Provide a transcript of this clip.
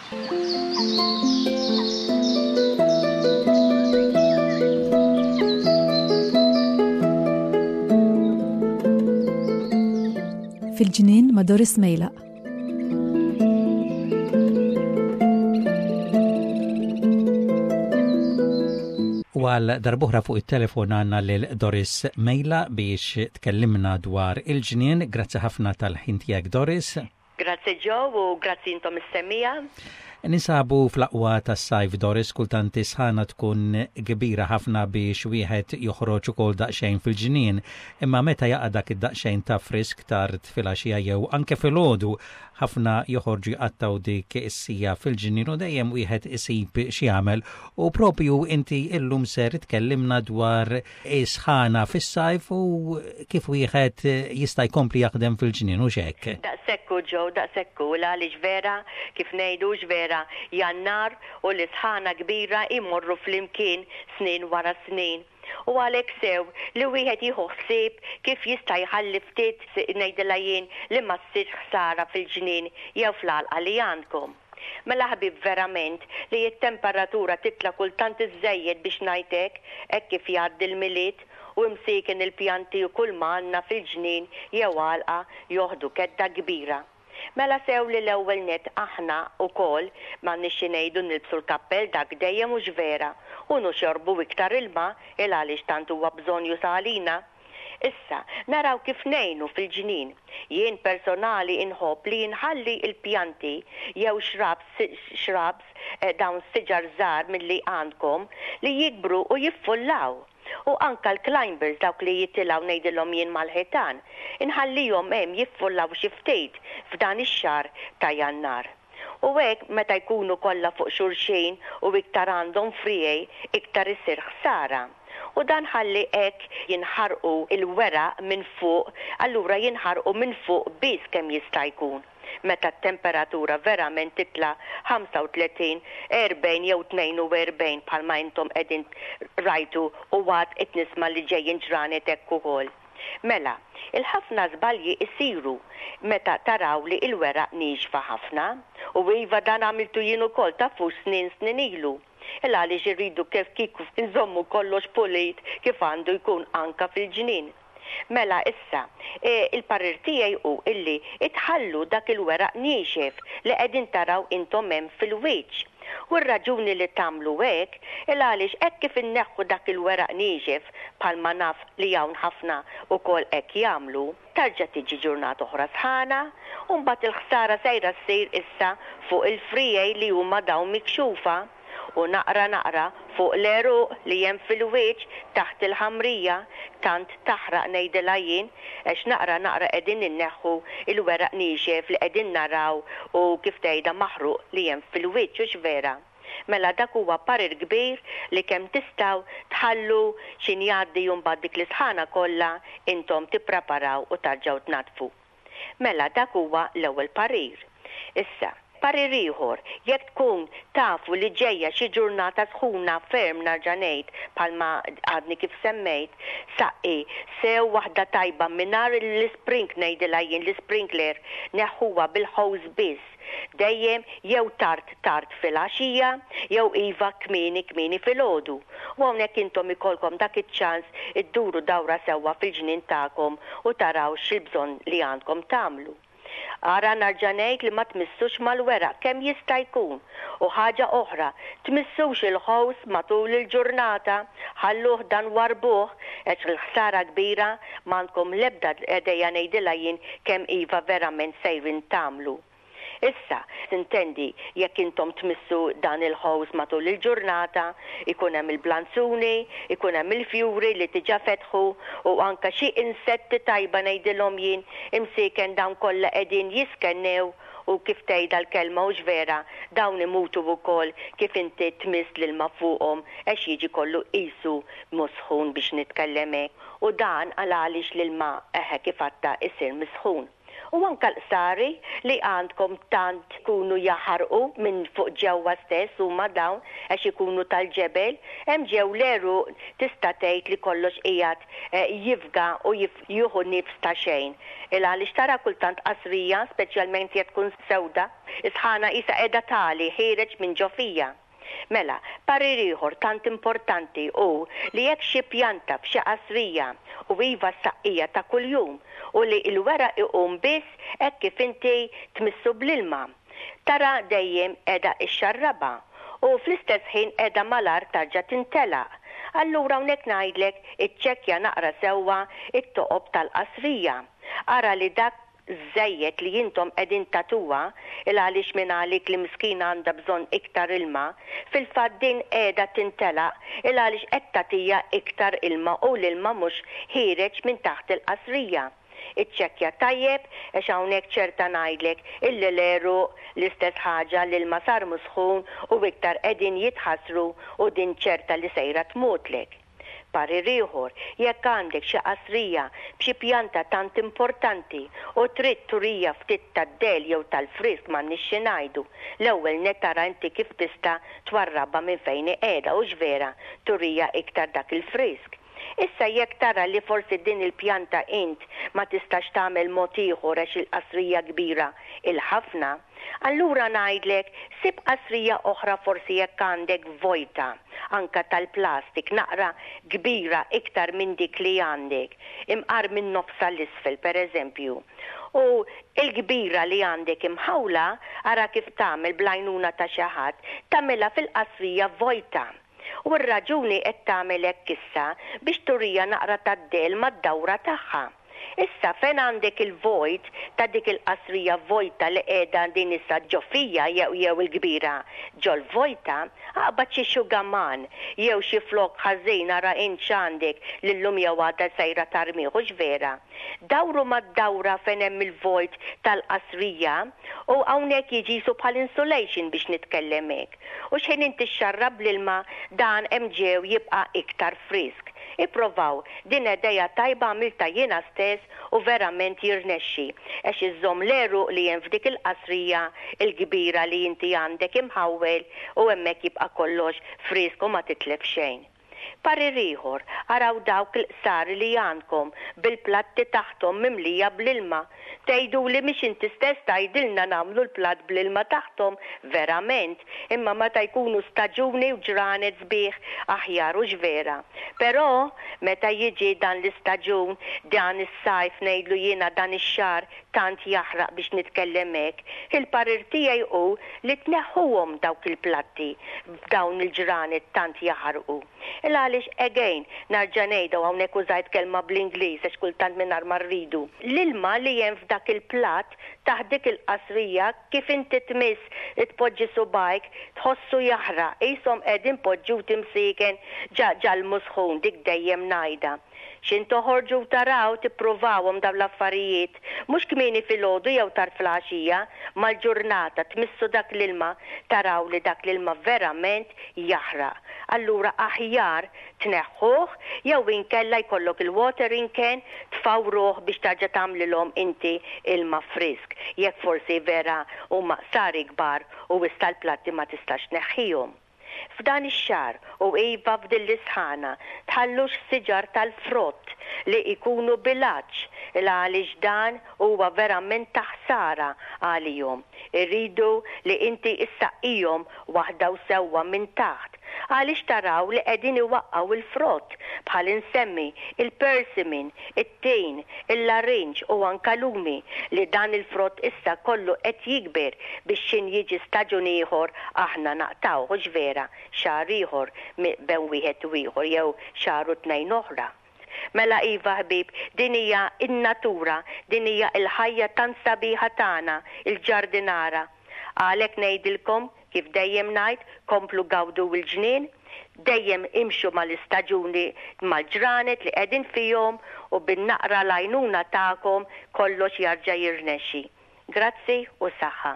Fil-ġnien ma' Doris Mejlaq. U għal darbuħra fuq it-telefon għanna lil Doris Mejla biex tkellimna dwar il-ġnien. Grazzi ħafna tal-ħin tiegħek Doris. Grazzi Joe u grazzi intom is-semmiegħa. Ninsabu fl-aqwa tas-sajf Doris, kultant is-sħana tkun kbira ħafna biex wieħed joħroġ ukoll daqsxejn fil-ġnien, imma meta jaqa' dak id-daqsxejn ta' frisk tard filgħaxija jew anke filgħodu, ħafna joħorġu jqattgħu dik is-siegħa fil-ġnien u dejjem wieħed isib x'jagħmel. U propju inti illum ser tkellimna dwar is-sħana fis-sajf u kif wieħed jista' jkompli jaħdem fil-ġnien, hux hekk? Daqshekk hu Joe, daqshekk hu, l-għaliex vera, kif ngħidu hux vera, Jannar u l-isħana kbira jmorru flimkien snin wara snin. U għalhekk sew li wieħed jieħu ħsieb kif jista' jħalli ftit, ngħidilha jien, li ma ssirx ħsara fil-ġnien jew fl-għalqa li għandkom. Mela ħbieb verament li t-temperatura titla' kultant iżżejjed biex ngħid hekk, hekk kif jgħaddi l-Milied u imsieken il-pjanti u kull ma għandna fil-ġnien jew għalqa joħdu kedda kbira. Mela sew li l-ewwel nett aħna wkoll m'għandniex xi ngħidu nilbsu l-kappell dak dejjem hux vera u nuxorbu iktar ilma il għaliex tant huwa bżonnjuż għalina. Issa, naraw kif ngħinu fil-ġnien. Jien personali inħobb li inħalli l-pjanti jew shrubs, shrubs, dawn siġar żgħar milli għandkom, li jikbru u jiffullaw. U anka l-climbers dawk li jitilgħu ngħidilhom jien mal-ħitan, inħallihom hemm jiffullaw xi ftit f'dan ix-xahar ta' Jannar. U hekk meta jkunu kollha fuq xulxin u iktar għandhom friegħi iktar isir ħsara. U dan ħalli hekk jinħarqu l-weraq minn fuq, allura jinħarqu minn fuq biss kemm jista' jkun meta t-temperatura verament titla' 35, 40 jew 42 bħalma intom qegħdin rajtu u għad qed nisma' li ġejjin ġranet hekk ukoll. Mela, il-ħafna żbalji isiru meta taraw li l-weraq niexfa ħafna. U iva dan għamiltu jien ukoll tafux snin snin ilu. Il għaliex irridu kif kieku nżommu kollox pulit kif għandu jkun anka fil-ġnien. Mela issa, il-parir tiegħi hu illi tħallu dak il-weraq niexef li qegħdin taraw intom hemm fil-wiċċ. U r-raġuni li tagħmlu hekk, il għaliex hekk kif inneħħu dak il-weraq niexef, bħalma naf li hawn ħafna ukoll hekk jagħmlu, tarġa' tiġi ġurnata oħra sħana, u mbagħad il-ħsara sejra ssir issa fuq il-friegħi li huma dawn mikxufa, u naqra naqra fuq l-għeruq li hemm fil-wiċċ taħt il-ħamrija, tant taħraq ngħidilha jien, għax naqra naqra qegħdin inneħħu l-weraq niexef li qegħdin naraw u kif tgħidha maħruq li hemm fil-wiċċ, hux vera? Mela dak huwa parir kbir li kemm tistgħu tħallu x'in jgħaddi u mbagħad dik l-isħana kollha intom tippreparaw u tarġgħu tnaddfu. Mela dak huwa l-ewwel parir. Issa, parir ieħor, jekk tkun tafu li ġejja xi ġurnata sħuna ferm narġa' ngħid bħalma għadni kif semmejt, saqqi sew waħda tajba mingħajr l-isprink ngħidilha jien l-isprinkler neħħuha bil-hose biss Dejjem jew tard tard filgħaxija jew iva kmieni kmieni filgħodu. U hawnhekk intom ikollkom dak iċ-ċans idduru dawra sewwa fil-ġnien tagħkom u taraw x'il-bżonn li għandkom tagħmlu. Ara narġa' ngħid li ma tmissux mal-weraq kemm jista' jkun. U ħaġa oħra, tmissux il-ħows matul il-ġurnata, ħalluh dan warrbuh għax il-ħsara kbira M'għandkom l-ebda idea ngħidilha jien kemm iva verament sejrin tagħmlu. Issa, sintendi, jekk intom tmissu dan il-hose matul il-ġurnata, ikun hemm il-blanzuni, ikun hemm il-fjuri li diġà fetħu u anke xi insetti tajba ngħidilhom jien, imsieken dawn kollha qegħdin jiskennew u kif tgħidha l-kelma hux vera, dawn imutu wkoll kif inti tmiss l-ilma fuqhom għax jiġi kollu qisu musħun biex nitkellem hekk. U dan għal għaliex l-ilma eħe kif għadtha isir misħun. U anke l-qsari li għandkom tant ikunu jaħarqu minn fuq ġewwa stess huma dawn għax ikunu tal-ġebel, hemm ġew l-għeruq tista' tgħid li kollox qiegħed jifga u jieħu nifs ta' xejn. Il għaliex tara kultant qasrija, speċjalment jekk tkun sewda, is-sħana qisha qiegħda tagħli ħiereġ minn ġo fija. Mela, parir ieħor tant importanti hu li jekk xi pjanta f'xi qasrija, u iva ssaqqija ta' kuljum, u li l-weraq iqum biss hekk kif inti tmissu bl-ilma, tara dejjem qiegħda ixxarrabha u fl-istess ħin qiegħda malajr tarġa' tintelaq. Allura hawnhekk ngħidlek iċċekkja naqra sewwa t-toqob tal-qasrija. Ara li dak żejjed li intom qegħdin tagħtuha, il għaliex mingħalik li miskina għandha bżonn iktar ilma, fil-fatt din qiegħda tintelaq il għaliex qed tagħtiha iktar ilma u l-ilma mhux ħiereġ minn taħt il-qasrija. Iċċekkja tajjeb għax hawnhekk ċerta ngħidlek illi l-għeruq l-istess ħaġa l-ilma sar mhux sħun u iktar qegħdin jitħassru u din ċerta li sejra tmutlek. Parir ieħor, jekk għandek xi qasrija b'xi pjanta tant importanti u trid turija ftit tad-dell jew tal-frisk m'għandniex xi ngħidu, l-ewwel nett ara inti kif tista' twarrabha minn fejn hi qiegħda hux vera turija iktar dak il-frisk. Issa jekk tara li forsi din il-pjanta int ma tistax tagħmel mod ieħor għax il-qasrija kbira il-ħafna, allura ngħidlek sib qasrija oħra forsi jekk għandek vojta, anka tal-plastik, naqra kbira iktar minn dik li għandek, imqar minn nofsha 'l isfel pereżempju. U l-kbira li għandek imħawla ara kif tagħmel bl-għajnuna ta' xi ħadd, tagħmilha fil-qasrija vojta. U r-raġuni qed tagħmel hekk issa biex turija naqra tad-dell mad-dawra tagħha. Issa fejn għandek il-vojt ta' dik il-qasrija vojta li qiegħda din issa ġo fija jew jew il-kbira ġol-vojta, aqbad xi xugaman jew xi flokk ħażin ara int x'għandek li llum jew għada sejra tarmih hux vera? Dawru mad-dawra fejn hemm il-vojt tal-qasrija u hawnhekk jiġi qisu bħal insulation biex nitkellem hekk. U x'ħin inti xxarrab bl-ilma dan hemm ġew jibqa' iktar frisk. Ipprovaw, din idea tajba għamiltha jiena stess u verament jirnexxi għax iżżomm l-għeruq li hemm f'dik il-qasrija l-kbira li inti għandek imħawwel u hemmhekk jibqa' kollox frisk u ma titlef xejn. Parir ieħor, araw dawk il-qsari li għandkom bil-platti taħthom mimlija bl-ilma. Tgħiduli mhix inti stess tgħidilna nagħmlu l-platt bl-ilma taħthom, verament, imma meta jkunu staġuni u ġranet sbieħ aħjar hux vera. Però meta jiġi dan l-istaġun, dan is-sajf ngħidlu jiena dan ix-xahar tant jaħraq biex nitkellem hekk, il-parir tiegħi hu li tneħħuhom dawk il-platti f'dawn il-ġranet tant jaħarqu. Il għaliex again, narġa' ngħidha u hawnhekk użajt kelma bl-Ingliż għax kultant mingħajr ma rridu, l-ilma li hemm f'dak il-platt taħt dik il-qasrija kif inti tmiss tpoġġi subgħajk tħossu jaħraq qishom qegħdin poġġuti msieken ġa ġal-musħun dik dejjem ngħidha. X'in toħorġu u taraw, tippruvawhom dawn l-affarijiet, mhux kmieni filgħodu jew tard filgħaxija, mal-ġurnata, tmissu dak l-ilma, taraw li dak l-ilma verament jaħraq. Allura aħjar tneħħuh jew inkella jkollok il-watering can tfawruh biex tarġa' tagħmlilhom inti ilma frisk, jekk forsi vera huma qsari kbar u issa l-platti ma tistax tneħħihom. F'dan ix-xahar, u iva f'din l-isħana, tħallux siġar tal-frott li jkunu bil-għatx, il-għaliex dan huwa verament ta' ħsara għalihom. Irridu li inti ssaqqihom waħda u sewwa minn taħt, għaliex taraw li qegħdin iwaqqgħu l-frott, bħal insemmi, il-persimmon, it-tin, il-larinġ u anka lumi li dan il-frott issa kollu qed jikber biex x'in jiġi staġun ieħor aħna naqtgħuh hux vera xahar ieħor bejn wieħed u ieħor jew xahar u tnejn oħra. Mela iva ħbieb din hija n-natura, din hija l-ħajja tant sabiħa tagħna, il-ġardinara. Għalhekk ngħidilkom Kif dejjem ngħid, komplu gawdu l-ġnien, dejjem imxu mal-istaġuni, mal-ġranet li qegħdin fihom u bin-naqra l-għajnuna tagħkom kollox jarġa' jirnexxi. Grazzi u saħħa.